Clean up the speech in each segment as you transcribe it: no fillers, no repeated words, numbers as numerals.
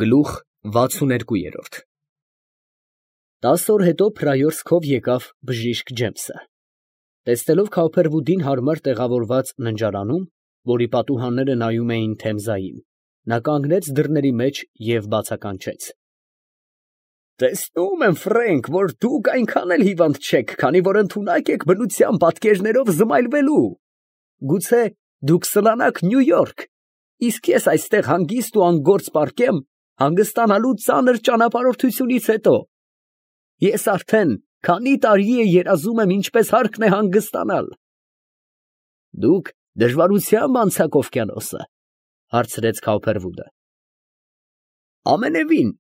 Գլուխ 62 10 օր հետո Փրայորսկով եկավ բժիշկ Ջեմսը։ Տեսնելով Քավփերվուդին հարմար տեղավորված ննջարանում, որի պատուհանները նայում էին Թեմզային, նա կանգնեց դռների մեջ և բացականչեց. «Տեսնում եմ, Ֆրենկ, որ դուք այնքան էլ հիվանդ չեք, քանի որ ընդունակ եք բնության պատկերներով զմայլվելու. գուցե դուք սլանաք Նյու Յորք, իսկ ես այստեղ հանգիստ ու անգործ պառկեմ հանգստանալու ծանր ճանապարհորդությունից հետո։ Ես արդեն քանի տարի է երազում եմ ինչպես հարկն է հանգստանալ»։ «Դուք դժվարությամբ անցաք օվկիանոսը, ֊ հարցրեց Քավփերվուդը։ ֊ Ամենևին,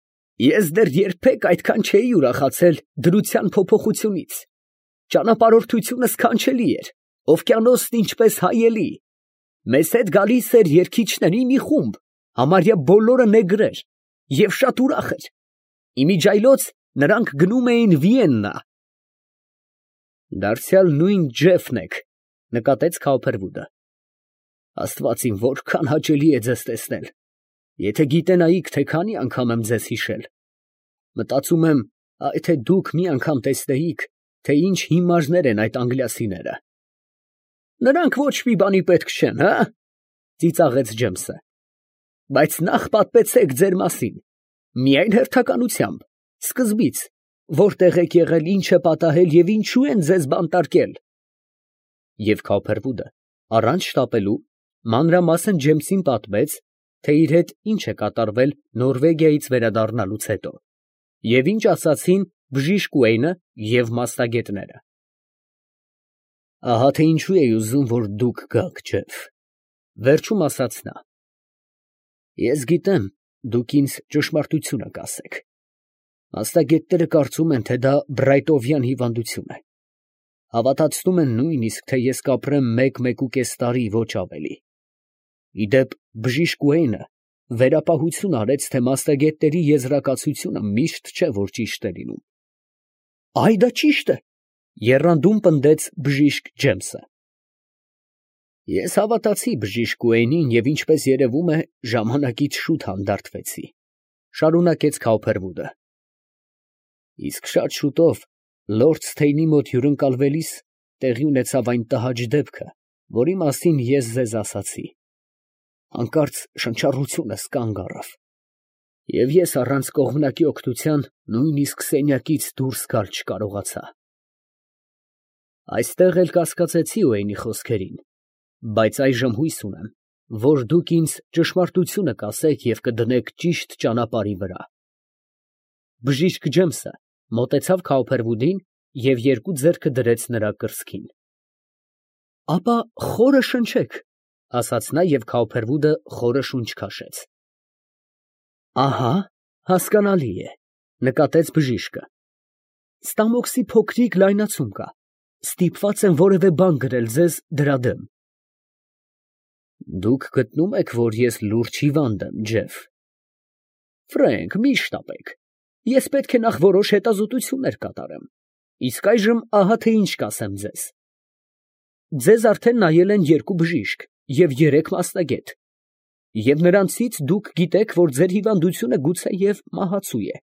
ես դեռ երբեք այդքան չէի ուրախացել դրության փոփոխությունից. ճանապարհորդությունը սքանչելի էր, օվկիանոսն ինչպես հայելի, մեզ հետ գալիս էր երգիչների մի խումբ, համարյա բոլորը նեգրեր, և շատ ուրախ էր։ Իմիջիայլոց նրանք գնում էին Վիեննա։ ֊ Դարձյալ նույն Ջեֆն եք, ֊ նկատեց Քավփերվուդը։ ֊ Աստված իմ, որքան հաճելի է ձեզ տեսնել. եթե գիտենայիք, թե քանի անգամ եմ ձեզ հիշել։ Մտածում եմ, թե դուք մի անգամ տեսնեիք, թե ինչ հիմարներ են այդ անգլիացիները։ ֊ Նրանք ոչ մի բանի պետք չեն, հը, ֊ ծիծաղեց Ջեմսը։ ֊ Բայց նախ պատմեցեք ձեր մասին, միայն հերթականությամբ, սկզբից, որտեղ եք եղել, ինչ է պատահել և ինչու են ձեզ բանտարկել։ Եվ Քավփերվուդը, առանց շտապելու, մանրամասն Ջեմսին պատմեց, թե իր հետ ինչ է կատարվել Նորվեգիայից վերադառնալուց հետո, և ինչ ասացին բժիշկ Ուեյնը և մասնագետները։ ֊ Ահա թե ինչու էի ուզում, որ դուք գաք, Ջեֆ, ֊ վերջում ասաց նա։ Ես գիտեմ, դուք ինձ ճշմարտությունը կասեք. մասնագետները կարծում են, թե դա բրայտովյան հիվանդություն է, հավատացնում են նույնիսկ, թե ես կապրեմ 1-1.5 տարի, ոչ ավելի։ Ի դեպ, բժիշկ Ուեյնը վերապահություն արեց, թե մասնագետների եզրակացությունը միշտ չէ, որ ճիշտ է լինում։ ֊ Այ դա ճիշտ է, ֊ եռանդում պնդեց բժիշկ Ջեմսը։ Ես հավատացի բժիշկ Ուեյնին և, ինչպես երևում է, ժամանակից շուտ հանդարտվեցի, ֊ շարունակեց Քավփերվուդը։ Իսկ շատ շուտով, լորդ Սթեյնի մոտ հյուրընկալվելիս, տեղի ունեցավ այն տհաճ դեպքը, որի մասին ես ձեզ ասացի։ Հանկարծ շնչառությունս կանգ առավ, և ես առանց կողմնակի օգնության նույնիսկ սենյակից դուրս գալ չկարողացա։ Այստեղ էլ կասկածեցի Ուեյնի խոսքերին, բայց այժմ հույս ունեմ, որ դուք ինձ ճշմարտությունը կասեք և կդնեք ճիշտ ճանապարհի վրա։ Բժիշկ Ջեմսը մոտեցավ Քավփերվուդին և երկու ձեռքը դրեց նրա կրծքին։ ֊ Ապա խորը շնչեք, ֊ ասաց նա, և Քավփերվուդը խորը շունչ քաշեց։ ֊ Ահա, հասկանալի է, ֊ նկատեց բժիշկը։ Ստամոքսի փոքրիկ լայնացում կա, ստիպված եմ որևէ բան գրել ձեզ դրա դեմ։ ֊ Դուք գտնում եք, որ ես լուրջ հիվանդ եմ, Ջեֆ։ ֊ Ֆրենկ, մի շտապեք, ես պետք է նախ որոշ հետազոտություններ կատարեմ, իսկ այժմ ահա թե ինչ կասեմ ձեզ. ձեզ արդեն նայել են 2 բժիշկ և 3 մասնագետ, և նրանցից դուք գիտեք, որ ձեր հիվանդությունը գուցեև մահացու է,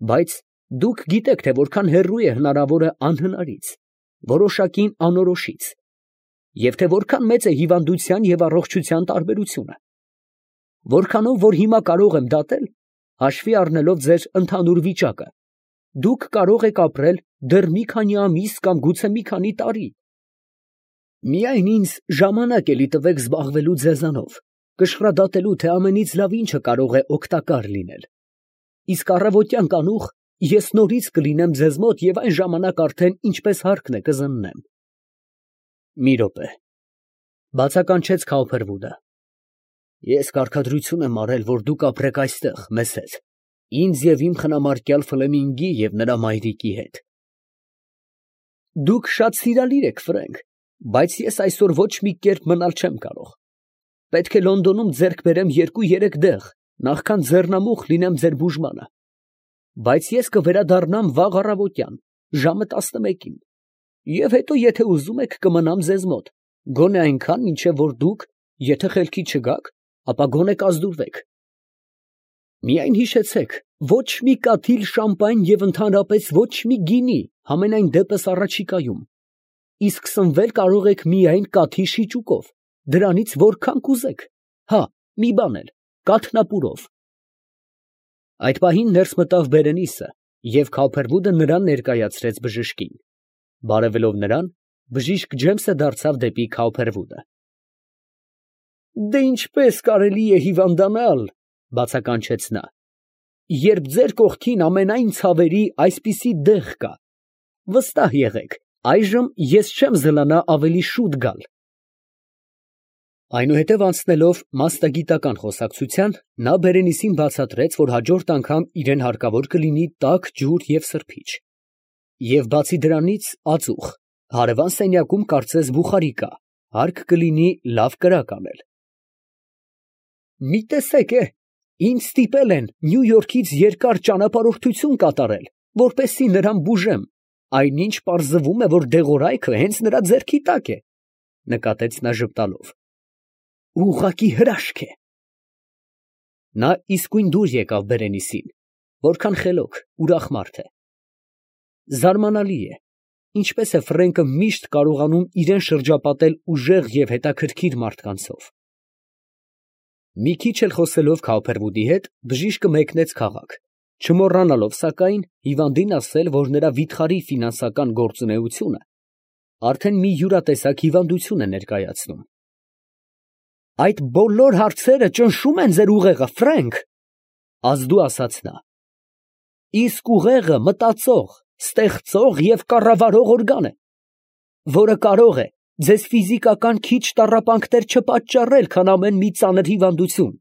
բայց դուք գիտեք, թե որքան հեռու է հնարավորը անհնարից, որոշակին անորոշից, և թե որքան մեծ է հիվանդության և առողջության տարբերությունը, որքանով որ հիմա կարող եմ դատել, հաշվի առնելով ձեր ընդհանուր վիճակը, դուք կարող եք ապրել դեռ մի քանի ամիս կամ գուցե մի քանի տարի։ Միայն ինձ ժամանակ էլի տվեք զբաղվելու ձեզանով, կշռադատելու, թե ամենից լավ ինչը կարող է օգտակար լինել, իսկ առավոտյան կանուխ ես նորից կլինեմ ձեզ մոտ և այն ժամանակ արդեն ինչպես հարկն է կզննեմ։ Մի րոպե, ֊ բացականչեց Քավփերվուդը։ Ես կարգադրություն եմ արել, որ դուք ապրեք այստեղ մեզ հետ, ինձ և իմ խնամարկյալ Ֆլեմինգի և նրա մայրիկի հետ։ Դուք շատ սիրալիր եք, Ֆրենկ, բայց ես այսօր ոչ մի կերպ մնալ չեմ կարող։ Պետք է Լոնդոնում ձեռք բերեմ 2-3 դեղ, նախքան ձեռնամուխ լինեմ ձեր բուժմանը, բայց ես կվերադառնամ վաղ առավոտյան, ժամը 11-ին, և հետո, եթե ուզում եք, կմնամ ձեզ մոտ, գոնե այնքան, մինչև որ դուք, եթե խելքի չգաք, ապա գոնե կազդուրվեք։ Միայն հիշեցեք, ոչ մի կաթիլ շամպայն և ընդհանրապես ոչ մի գինի, համենայն դեպս առաջիկայում, իսկ սնվել կարող եք միայն կաթի շիճուկով, դրանից որքան կուզեք, հա, մի բան էլ, կաթնապուրով։ Այդ պահին ներս մտավ Բերենիսը և Քավփերվուդը նրան ներկայացրեց բժշկին։ Բարևելով նրան, բժիշկ Ջեյմսը դարձավ դեպի Քավփերվուդը։ Դե ինչպես կարելի է հիվանդանալ, բացականչեց նա, երբ ձեր կողքին ամենայն ցավերի այսպիսի դեղ կա։ Վստահ եղեք, այժմ ես չեմ զլանա ավելի շուտ գալ։ Այնուհետև անցնելով մասնագիտական խոսակցության, նա Բերենիսին բացատրեց, որ հաջորդ անգամ իրան հարկավոր կլինի տաք ջուր և սրբիչ, և բացի դրանից ածուխ, հարևան սենյակում կարծես բուխարի կա, հարկ կլինի լավ կրակ անել։ Մի տեսեք, ինձ ստիպել են Նյու Յորքից երկար ճանապարհորդություն կատարել, որպեսզի նրան բուժեմ, այնինչ պարզվում է, որ դեղորայքը հենց նրա ձեռքի տակ է, նկատեց նա ժպտալով։ Ուղղակի հրաշք է։ Նա իսկույն դուր եկավ Բերենիսին, որքան խելոք, ուրախ մարդ է։ Զարմանալի է, ինչպես է Ֆրենկը միշտ կարողանում իրան շրջապատել ուժեղ և հետաքրքիր մարդկանցով։ Մի քիչ էլ խոսելով Քավփերվուդի հետ, բժիշկը մեկնեց քաղաք, չմոռանալով սակայն հիվանդին ասել, որ նրա վիթխարի ֆինանսական գործունեությունը արդեն մի յուրատեսակ հիվանդություն է ներկայացնում։ Այդ բոլոր հարցերը ճնշում են ձեր ուղեղը, Ֆրենկ, ազդու ասաց նա։ Իսկ ուղեղը մտածող, ստեղծող և կառավարող օրգան է, որը կարող է ձեզ ֆիզիկական քիչ տառապանքներ չպատճառել, քան ամեն մի ծանր հիվանդություն։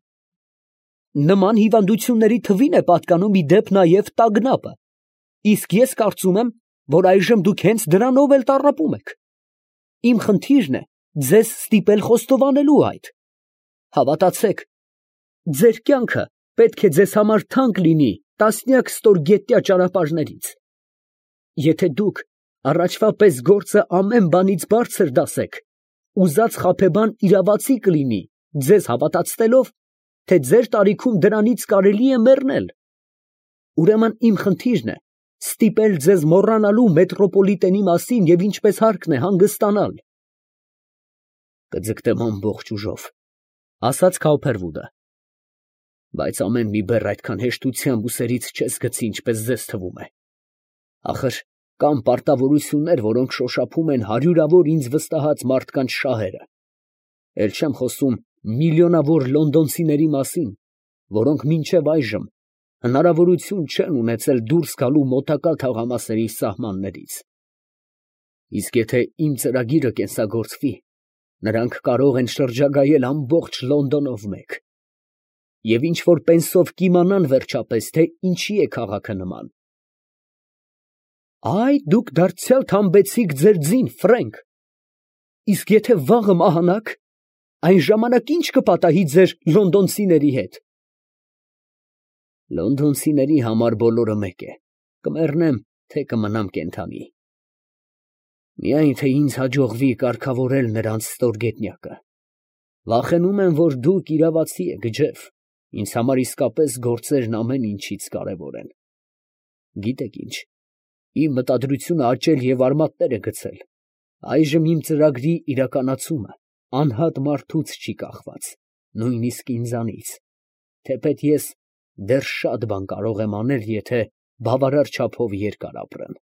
Նման հիվանդությունների թվին է պատկանում ի դեպ նաև տագնապը, իսկ ես կարծում եմ, որ այժմ դուք հենց դրանով էլ տառապում եք։ Իմ խնդիրն է ձեզ ստիպել խոստովանելու այդ։ Հավատացեք, ձեր կյանքը պետք է ձեզ համար թանկ լինի տասնյակ ստորգետնյա ճանապարհներից։ Եթե դուք առաջվա պես գործը ամեն բանից բարձր դասեք, ուզած խաբեբան իրավացի կլինի, ձեզ հավատացնելով, թե ձեր տարիքում դրանից կարելի է մեռնել։ Ուրեմն իմ խնդիրն է ստիպել ձեզ մոռանալու մետրոպոլիտենի մասին և ինչպես հարկն է հանգստանալ։ Կձգտեմ ամբողջ ուժով, ասաց Քավփերվուդը, բայց ամեն մի բեռ այդքան հեշտությամբ ուսերից չես գցի, ինչպես ձեզ թվում է։ Ախր կան պարտավորություններ, որոնք շոշափում են հարյուրավոր ինձ վստահած մարդկանց շահերը։ Էլ չեմ խոսում միլիոնավոր լոնդոնցիների մասին, որոնք մինչև այժմ հնարավորություն չեն ունեցել դուրս գալու մոտակա թաղամասերի սահմաններից։ Իսկ եթե իմ ծրագիրը կենսագործվի, նրանք կարող են շրջագայել ամբողջ Լոնդոնով մեկ։ Եվ ինչ որ պենսով կիմանան վերջապես, թե ինչի է քաղաքը նման։ Այ դուք դարձյալ թամբեցիք ձեր ձին, Ֆրենկ։ Իսկ եթե վաղը մահանաք, այն ժամանակ ի՞նչ կպատահի ձեր լոնդոնցիների հետ։ Լոնդոնցիների համար բոլորը մեկ է, կմեռնեմ, թե կմնամ կենդանի։ Միայն թե ինձ հաջողվի կարգավորել նրանց ստորգետնյակը։ Վախենում եմ, որ դուք իրավացի եք, Ջեֆ, ինձ համար իսկապես գործերն ամեն ինչից կարևոր են։ Գիտեք ինչ, իմ մտադրությունը աճել և արմատներ է գցել։ Այժմ իմ ծրագրի իրականացումը անհատ մարդուց չի կախված, նույնիսկ ինձանից, թեպետ ես դեռ շատ բան կարող եմ անել, եթե բավարար չափով երկար ապրեմ։